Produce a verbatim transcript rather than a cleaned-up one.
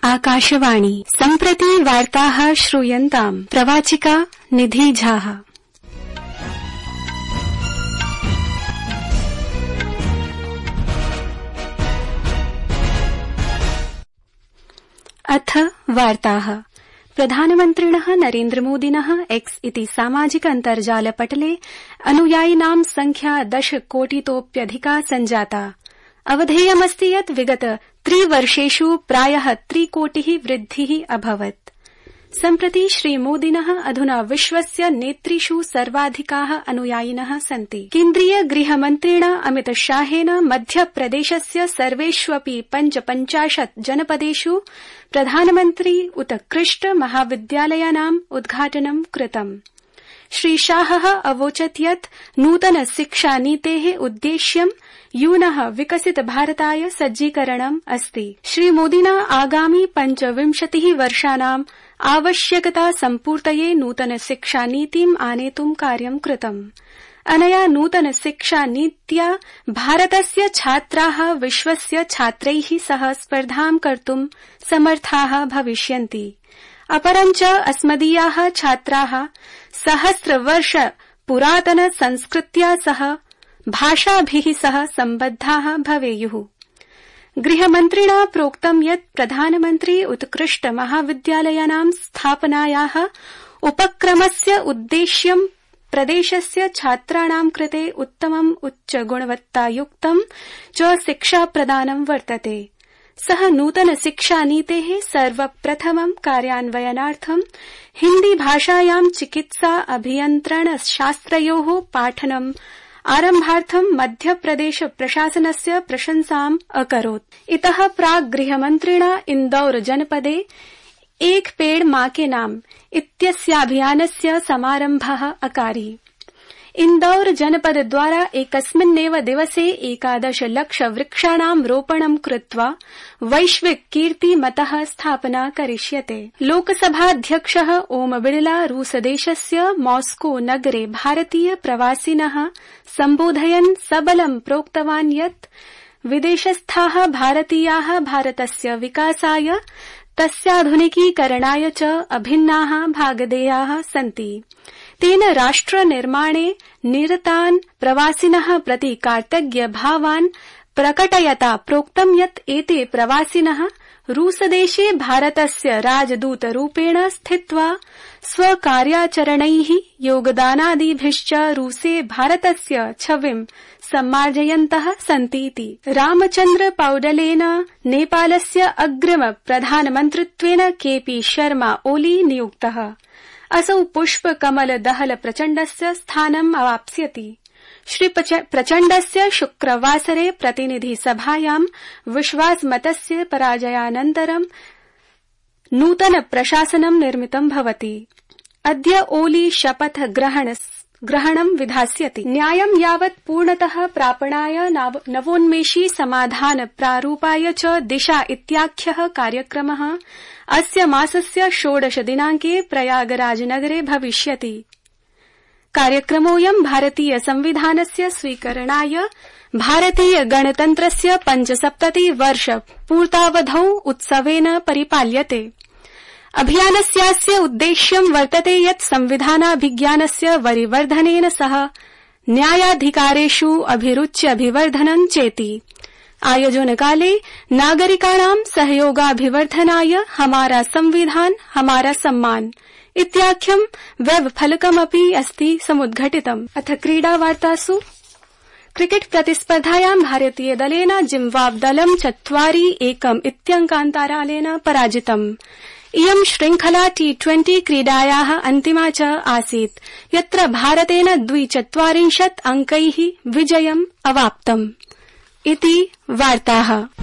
आकाशवाणी सम्प्रति वार्ताः श्रूयन्ताम् प्रवाचिका निधि झाः। अथ वार्ताः। प्रधानमन्त्रिणः नरेन्द्रमोदिनः एक्स इति सामाजिक अन्तर्जालपटले अनुयायिनां संख्या दश कोटितोप्यधिका सञ्जाता। अवधेयमस्ति यत् विगत त्रिवर्षेषु प्रायः त्रिकोटिः वृद्धिः अभवत्। सम्प्रति श्रीमोदिनः अधुना विश्वस्य नेतृषु सर्वाधिकाः अनुयायिनः सन्ति। केन्द्रीय गृहमन्त्रिणा अमितशाहेन मध्यप्रदेशस्य सर्वेष्वपि पञ्चपञ्चाशत् जनपदेषु प्रधानमन्त्री उत्कृष्ट महाविद्यालयानाम् उद्घाटनं कृतम्। श्रीशाहः अवोचत् यत् नूतन शिक्षानीतेः उद्देश्यं यूनः विकसित भारताय सज्जीकरणम् अस्ति। श्रीमोदिना आगामि पञ्चविंशतिः वर्षाणाम् आवश्यकता सम्पूर्तये नूतन शिक्षानीतिम् आनेतुं कार्यं कृतम्। अनया नूतन शिक्षानीत्या भारतस्य छात्राः विश्वस्य छात्रैः सह स्पर्धां कर्तुं समर्थाः भविष्यन्ति। अपरञ्च अस्मदीयाः छात्राः सहस्रवर्ष पुरातन संस्कृत्या सह भाषाभिः सह सम्बद्धाः भवेयुः। गृहमन्त्रिणा प्रोक्तं यत् प्रधानमन्त्री उत्कृष्ट महाविद्यालयानां स्थापनायाः उपक्रमस्य उद्देश्यं प्रदेशस्य छात्राणां कृते उत्तमम् उच्चगुणवत्तायुक्तं च शिक्षाप्रदानं वर्तते। सः नूतन शिक्षानीतेः सर्वप्रथमं कार्यान्वयनार्थं हिन्दी भाषायां चिकित्सा अभियन्त्रण शास्त्रयोः पाठनम् आरम्भार्थं मध्यप्रदेश प्रशासनस्य प्रशंसाम् अकरोत्। इतः प्राक् गृहमन्त्रिणा इन्दौर जनपदे एक पेड़ मां के नाम इत्यस्याभियानस्य समारम्भः अकारि। इन्दौर जनपद द्वारा एकस्मिन्नेव दिवसे एकादश लक्ष वृक्षाणां रोपणं कृत्वा वैश्विक कीर्तिमतः स्थापना करिष्यते। लोकसभाध्यक्षः ओम बिड़ला रूसदेशस्य मॉस्को नगरे भारतीय प्रवासिनः सम्बोधयन् सबलं प्रोक्तवान् यत् विदेशस्थाः भारतीयाः भारतस्य विकासाय तस्याधुनिकीकरणाय च अभिन्नाः भागधेयाः सन्ति। तेन राष्ट्रनिर्माणे निरतान् प्रवासिनः प्रति कार्तज्ञभावान् प्रकटयता प्रोक्तं यत् एते प्रवासिनः रूसदेशे भारतस्य राजदूतरूपेण स्थित्वा स्वकार्याचरणैः योगदानादिभिश्च रूसे भारतस्य छविं सम्मार्जयन्तः सन्तीति। रामचन्द्र पौडलेन नेपालस्य अग्रिम प्रधानमन्त्रित्वेन केपी शर्मा ओली नियुक्तः। असौ पुष्पकमल दहल प्रचण्डस्य स्थानम् अवाप्स्यति। श्री प्रचण्डस्य शुक्रवासरे प्रतिनिधिसभायां विश्वासमतस्य पराजयानन्तरं नूतन प्रशासनं निर्मितं भवति। अद्य ओली शपथ ग्रहणं विधास्यति। न्यायं यावत् पूर्णतः प्रापणाय नवोन्मेषी समाधान प्रारूपाय च दिशा इत्याख्यः कार्यक्रमः अस्य मासस्य षोडश दिनाङ्के प्रयागराजनगरे भविष्यति। कार्यक्रमोऽयं भारतीय संविधानस्य स्वीकरणाय भारतीय गणतन्त्रस्य पञ्चसप्तति वर्ष पूर्तावधौ उत्सवेन परिपाल्यते। अभियानस्यास्य उद्देश्यं वर्तते यत् संविधानाभिज्ञानस्य वरिवर्धनेन सह न्यायाधिकारेषु अभिरुच्यभिवर्धनं चेति। आयोजनकाले नागरिकाणां सहयोगाभिवर्धनाय हमारा संविधान हमारा सम्मान इत्याख्यं वेब फलकमपि अस्ति समुद्घटितम्। अथ क्रीडावार्तासु क्रिकेट प्रतिस्पर्धायां भारतीय दलेन जिम्बाब्वे-दलं चत्वारि एकम् इत्यङ्कान्तरालेन पराजितम्। इयं श्रृंखला टी ट्वेंटी क्रीडायाः अन्तिमा च आसीत्, यत्र भारतेन द्विचत्वारिंशत् अङ्कैः विजयम् अवाप्तम्। इति वार्ताः।